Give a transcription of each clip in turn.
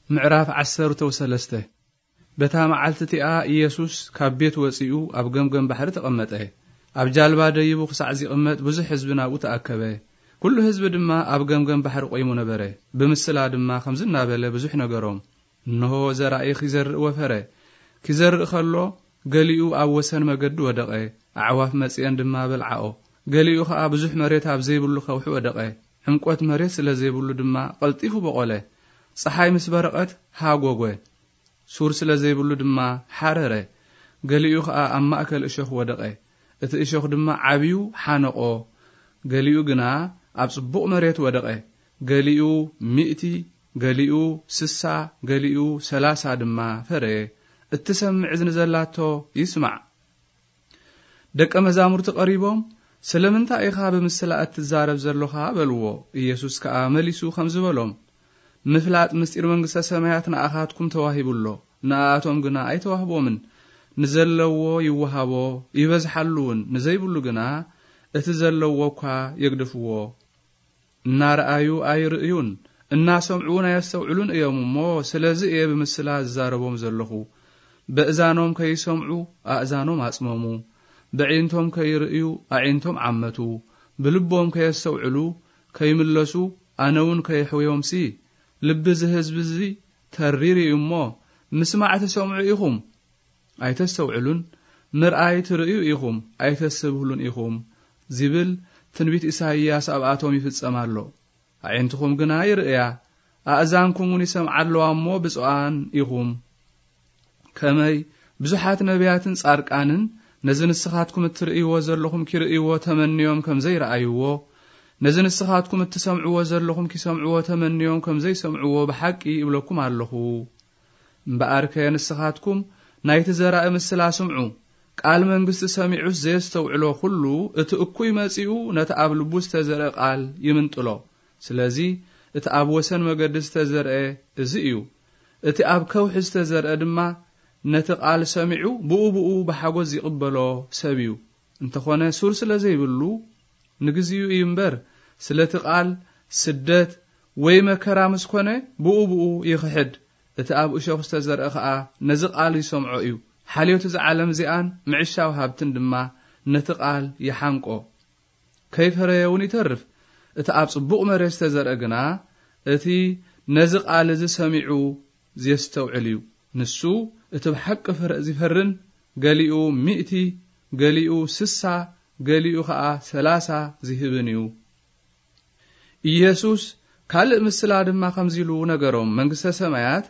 ምዕራፍ ዓሰርተ ወሰለስተ። በታ መዓልቲ እቲኣ ኢየሱስ ካብ ቤት ወጺኡ ኣብ ገምገም ባሕሪ ተቐመጠ። ኣብ ጃልባ ደይቡ ክሳዕ ዚቕመጥ ብዙሕ ህዝቢ ናብኡ ተኣከበ። ኩሉ ህዝቢ ድማ ኣብ ገምገም ባሕሪ ቆይሙ ነበረ። ብምስላ ድማ ከምዚ እናበለ ብዙሕ ነገሮም። እንሆ ዘራኢ ኪዘርእ ወፈረ። ኪዘርእ ከሎ ገሊኡ ኣብ ወሰን መገዲ ወደቐ። ኣዕዋፍ መጺአን ድማ በልዓኦ። ገሊኡ ኸኣ ብዙሕ መሬት ኣብ ዘይብሉ ከውሒ ወደቐ። ዕምቆት መሬት ስለ ዘይብሉ ድማ ቀልጢፉ በቖለ። ጸሓይ ምስ በረቐት ሃጎጎ። ሱር ስለ ዘይብሉ ድማ ሓረረ። ገሊኡ ኸኣ ኣብ ማእከል እሾኽ ወደቐ። እቲ እሾኽ ድማ ዓብዩ ሓነቖ። ገሊኡ ግና ኣብ ጽቡቕ መሬት ወደቐ። ገሊኡ ሚእቲ፣ ገሊኡ ስሳ፣ ገሊኡ ሰላሳ ድማ ፈረየ። እትሰምዕ እዝኒ ዘላቶ ይስማዕ። ደቀ መዛሙርቲ ቀሪቦም፣ "ስለምንታይ ኢኻ ብምስላ እትዛረብ ዘሎኻ?" በልዎ። ኢየሱስ ከኣ መሊሱ ከምዚ በሎም፣ "ምፍላጥ ምስጢር መንግስተ ሰማያት ንኣኻትኩም ተዋሂቡ ኣሎ፣ ንኣኣቶም ግና ኣይተዋህቦምን። ንዘለዎ ይወሃቦ፣ ይበዝሓሉ እውን፣ ንዘይብሉ ግና እቲ ዘለዎ እኳ የግድፍዎ። እናረኣዩ ኣይርእዩን፣ እናሰምዑ እውን ኣየስተውዕሉን እዮም እሞ፣ ስለዚ እየ ብምስላ ዝዛረቦም ዘለኹ። በእዛኖም ከይሰምዑ ኣእዛኖም ኣጽመሙ፣ በዒንቶም ከይርእዩ ኣዒንቶም ዓመቱ፣ ብልቦም ከየስተውዕሉ ከይምለሱ ኣነ እውን ከየሕውዮምሲ፣ ልቢ እዚ ህዝቢ እዚ ተሪር እዩ እሞ፣ ምስማዕ ትሰምዑ ኢኹም፣ ኣይተስተውዕሉን፣ ምርኣይ ትርእዩ ኢኹም፣ ኣይተስተብህሉን ኢኹም" ዚብል ትንቢት ኢሳይያስ ኣብኣቶም ይፍጸም ኣሎ። ኣዒንትኹም ግና ይርእያ፣ ኣእዛንኩም እውን ይሰምዓ ኣለዋ እሞ ብፁዓን ኢኹም። ከመይ ብዙሓት ነቢያትን ጻድቃንን ነዚ ንስኻትኩም እትርእይዎ ዘለኹም ኪርእይዎ ተመንዮም ከም ዘይረኣይዎ፣ ነዚ ንስኻትኩም እትሰምዕዎ ዘለኹም ኪሰምዕዎ ተመንዮም ከም ዘይሰምዕዎ ብሓቂ ይብለኩም ኣለኹ። እምበኣርከ ንስኻትኩም ናይቲ ዘራኢ ምስላ ስምዑ። ቃል መንግስቲ ሰሚዑስ ዘየስተውዕሎ ኩሉ፣ እቲ እኩይ መጺኡ ነቲ ኣብ ልቡ ዝተዘርአ ቃል ይምንጥሎ። ስለዚ እቲ ኣብ ወሰን መገዲ ዝተዘርአ እዚ እዩ። እቲ ኣብ ከውሒ ዝተዘርአ ድማ ነቲ ቃል ሰሚዑ ብኡ ብኡ ብሓጎስ ይቕበሎ ሰብ እዩ። እንተኾነ ሱር ስለ ዘይብሉ ንግዚኡ እዩ እምበር፣ ስለቲ ቃል ስደት ወይ መከራ ምስ ኮነ ብኡ ብኡ ይኽሕድ። እቲ ኣብ እሾኽ ዝተዘርአ ኸኣ ነዚ ቃል ይሰምዖ እዩ። ሓልዮት እዛ ዓለም እዚኣን ምዕሻው ሃብትን ድማ ነቲ ቃል ይሓንቆ። ከይፈረየ እውን ይተርፍ። እቲ ኣብ ጽቡቕ መሬት ዝተዘርአ ግና እቲ ነዚ ቃል እዚ ሰሚዑ ዜስተውዕል እዩ። ንሱ እቲ ብሓቂ ፍረ ዚፈርን፣ ገሊኡ ሚእቲ፣ ገሊኡ ስሳ፣ ገሊኡ ኸኣ ሰላሳ ዚህብን እዩ። ኢየሱስ ካልእ ምስላ ድማ ከምዚ ኢሉ ነገሮም፣ "መንግስተ ሰማያት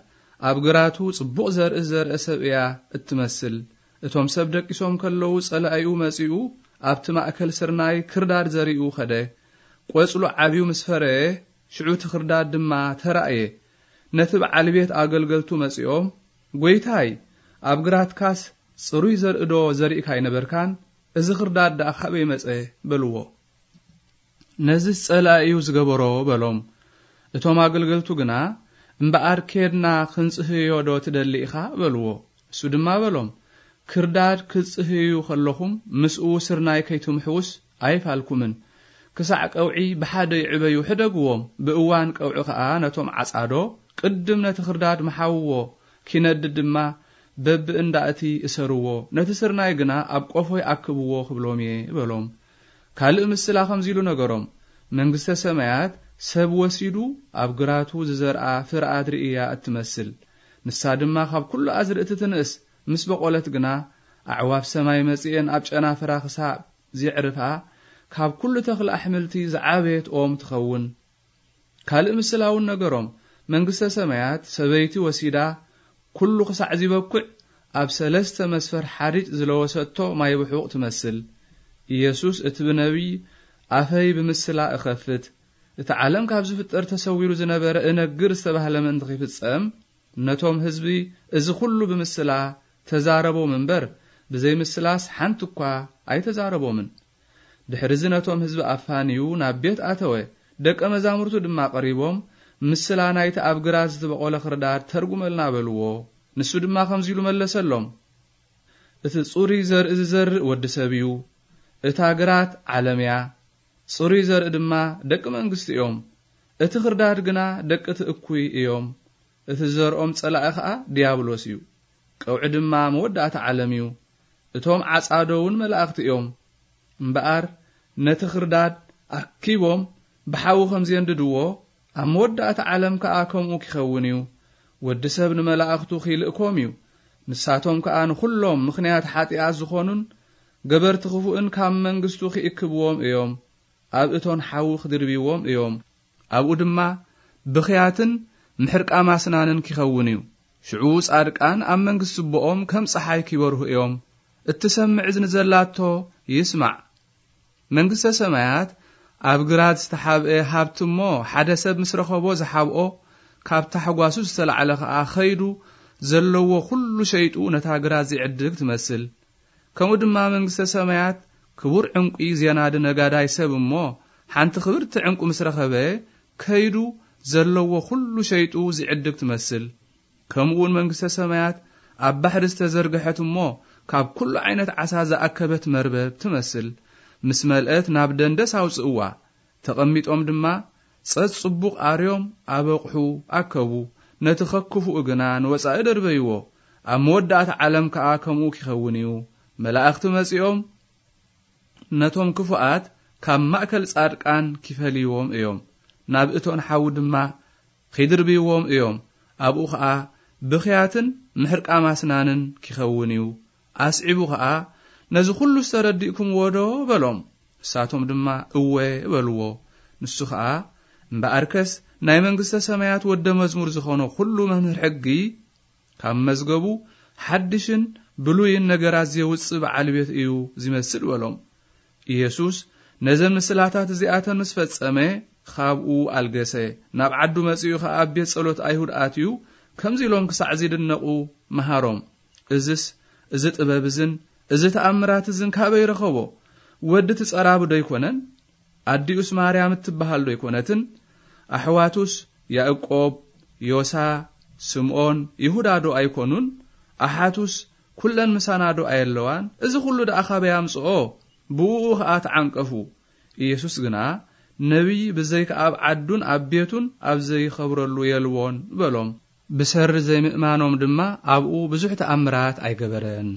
ኣብ ግራቱ ጽቡቕ ዘርኢ ዝዘርአ ሰብ እያ እትመስል። እቶም ሰብ ደቂሶም ከለዉ ጸላኢኡ መጺኡ ኣብቲ ማእከል ስርናይ ክርዳድ ዘሪኡ ኸደ። ቆጽሉ ዓብዩ ምስ ፈረየ፣ ሽዑ እቲ ክርዳድ ድማ ተራእየ። ነቲ በዓል ቤት ኣገልገልቱ መጺኦም፣ 'ጐይታይ፣ ኣብ ግራትካስ ጽሩይ ዘርእዶ ዘሪእካ ኣይነበርካን? እዚ ክርዳድ ደኣ ካበይ መጸ?' በልዎ። 'ነዚስ ጸላኢ እዩ ዝገበሮ' በሎም። እቶም ኣገልገልቱ ግና፣ 'እምበኣር ኬድና ክንጽህዮ ዶ ትደሊ ኢኻ?' በልዎ። እሱ ድማ በሎም፣ 'ክርዳድ ክትጽህዩ ከለኹም ምስኡ ስርናይ ከይትምሕዉስ ኣይፋልኩምን። ክሳዕ ቀውዒ ብሓደ ይዕበዩ ሕደግዎም፣ ብእዋን ቀውዒ ኸኣ ነቶም ዓጻዶ ቅድም ነቲ ክርዳድ ምሓውዎ፣ ኪነድድ ድማ በብእንዳ እቲ እሰርዎ፣ ነቲ ስርናይ ግና ኣብ ቆፎ ይኣክብዎ ክብሎም እየ' በሎም። ካልእ ምስላ ከምዚ ኢሉ ነገሮም፣ 'መንግስተ ሰማያት ሰብ ወሲዱ ኣብ ግራቱ ዝዘርኣ ፍረ ኣድሪ እያ እትመስል። ንሳ ድማ ካብ ኩሉ ኣዝርእቲ ትንእስ፣ ምስ በቖለት ግና፣ ኣዕዋፍ ሰማይ መጺኤን ኣብ ጨናፍራ ክሳብ ዜዕርፋ፣ ካብ ኩሉ ተኽሊ ኣሕምልቲ ዝዓበየት ኦም ትኸውን። ካልእ ምስላ እውን ነገሮም፣ መንግስተ ሰማያት ሰበይቲ ወሲዳ፣ ኩሉ ክሳዕ ዚበኩዕ ኣብ ሰለስተ መስፈር ሓሪጭ ዝለወሰቶ ማይ ብሑቕ ትመስል። ኢየሱስ እቲ ብነቢይ ኣፈይ ብምስላ እኸፍት፣ እቲ ዓለም ካብ ዝፍጠር ተሰዊሩ ዝነበረ እነግር ዝተባህለ ምእንቲ ኺፍጸም፣ ነቶም ህዝቢ እዚ ኹሉ ብምስላ ተዛረቦም እምበር፣ ብዘይ ምስላስ ሓንቲ እኳ ኣይተዛረቦምን። ድሕርዚ ነቶም ህዝቢ ኣፋንዩ ናብ ቤት ኣተወ። ደቀ መዛሙርቱ ድማ ቀሪቦም፣ ምስላ ናይቲ ኣብ ግራት ዝተበቖለ ኽርዳድ ተርጉመልና በልዎ። ንሱ ድማ ከምዚ ኢሉ መለሰሎም፣ እቲ ጽሩይ ዘርኢ ዝዘርእ ወዲ ሰብ እዩ። እታ ግራት ዓለም እያ። ጽሩይ ዘርኢ ድማ ደቂ መንግስቲ እዮም። እቲ ኽርዳድ ግና ደቂ እቲ እኩይ እዮም። እቲ ዘርኦም ጸላኢ ኸኣ ዲያብሎስ እዩ። ቀውዒ ድማ መወዳእታ ዓለም እዩ። እቶም ዓጻዶ እውን መላእኽቲ እዮም። እምበኣር ነቲ ኽርዳድ ኣኪቦም ብሓዊ ከም ዜንድድዎ፣ ኣብ መወዳእታ ዓለም ከኣ ከምኡ ኪኸውን እዩ። ወዲ ሰብ ንመላእኽቱ ኺልእኮም እዩ። ንሳቶም ከኣ ንኹሎም ምኽንያት ሓጢኣት ዝኾኑን ገበርቲ ኽፉእን ካብ መንግስቱ ኪእክብዎም እዮም። ኣብ እቶን ሓዊ ክድርብይዎም እዮም። ኣብኡ ድማ ብኽያትን ምሕርቃም ኣስናንን ኪኸውን እዩ። ሽዑ ጻድቃን ኣብ መንግስቲ ኣቦኦም ከም ጸሓይ ኪበርሁ እዮም። እትሰምዕ እዝኒ ዘላቶ ይስማዕ። መንግስተ ሰማያት ኣብ ግራት ዝተሓብአ ሃብቲ እሞ፣ ሓደ ሰብ ምስ ረኸቦ ዝሓብኦ፣ ካብ ታሕጓሱ ዝተላዕለ ኸኣ ኸይዱ ዘለዎ ኹሉ ሸይጡ ነታ ግራት ዚዕድግ ትመስል። ከምኡ ድማ መንግስተ ሰማያት ክቡር ዕንቁ ዜናዲ ነጋዳይ ሰብ እሞ፣ ሓንቲ ክብርቲ ዕንቁ ምስ ረኸበ፣ ከይዱ ዘለዎ ኹሉ ሸይጡ ዚዕድግ ትመስል። ከምኡ እውን መንግስተ ሰማያት ኣብ ባሕሪ ዝተዘርግሐት እሞ፣ ካብ ኩሉ ዓይነት ዓሳ ዝኣከበት መርበብ ትመስል። ምስ መልአት ናብ ደንደስ ኣውጽእዋ። ተቐሚጦም ድማ ጸጽቡቕ ኣርዮም ኣብ ኣቕሑ ኣከቡ። ነቲ ኸክፉኡ ግና ንወጻኢ ደርበይዎ። ኣብ መወዳእታ ዓለም ከኣ ከምኡ ኪኸውን እዩ። መላእኽቲ መጺኦም ነቶም ክፉኣት ካብ ማእከል ጻድቃን ኪፈልይዎም እዮም። ናብ እቶን ሓዊ ድማ ኺድርብይዎም እዮም። ኣብኡ ኸኣ ብኽያትን ምሕርቃም ኣስናንን ኪኸውን እዩ። ኣስዒቡ ኸኣ፣ "ነዚ ኹሉስ ተረዲእኩምዎ ዶ?" በሎም። ንሳቶም ድማ፣ "እወ" በልዎ። ንሱ ኸኣ፣ "እምበኣርከስ ናይ መንግስተ ሰማያት ወደ መዝሙር ዝኾነ ኹሉ መምህር ሕጊ፣ ካብ መዝገቡ ሓድሽን ብሉይን ነገራት ዜውጽእ በዓል ቤት እዩ ዚመስል" በሎም። ኢየሱስ ነዘን ምስላታት እዚኣተን ምስ ፈጸመ፣ ኻብኡ ኣልገሰ። ናብ ዓዱ መጺኡ ኸኣ ኣብ ቤት ጸሎት ኣይሁድ ኣትዩ፣ ከምዚ ኢሎም ክሳዕ ዚድነቑ መሃሮም። "እዝስ፣ እዚ ጥበብ እዝን እዚ ተኣምራት እዝን ካበይ ረኸቦ? ወዲ እቲ ጸራቢ ዶ ኣይኮነን? ኣዲኡስ ማርያም እትበሃል ዶ ኣይኮነትን? ኣሕዋቱስ ያእቆብ፣ ዮሳ፣ ስምኦን፣ ይሁዳ ዶ ኣይኮኑን? ኣሓቱስ ኩለን ምሳና ዶ ኣየለዋን? እዚ ኹሉ ደኣ ካበይ ኣምጽኦ?" ብእኡ ኸኣ ተዓንቀፉ። ኢየሱስ ግና፣ "ነቢይ ብዘይካ ኣብ ዓዱን ኣብ ቤቱን ኣብ ዘይኸብረሉ የልቦን" በሎም። ብሰሪ ዘይምእማኖም ድማ ኣብኡ ብዙሕ ተኣምራት ኣይገበረን።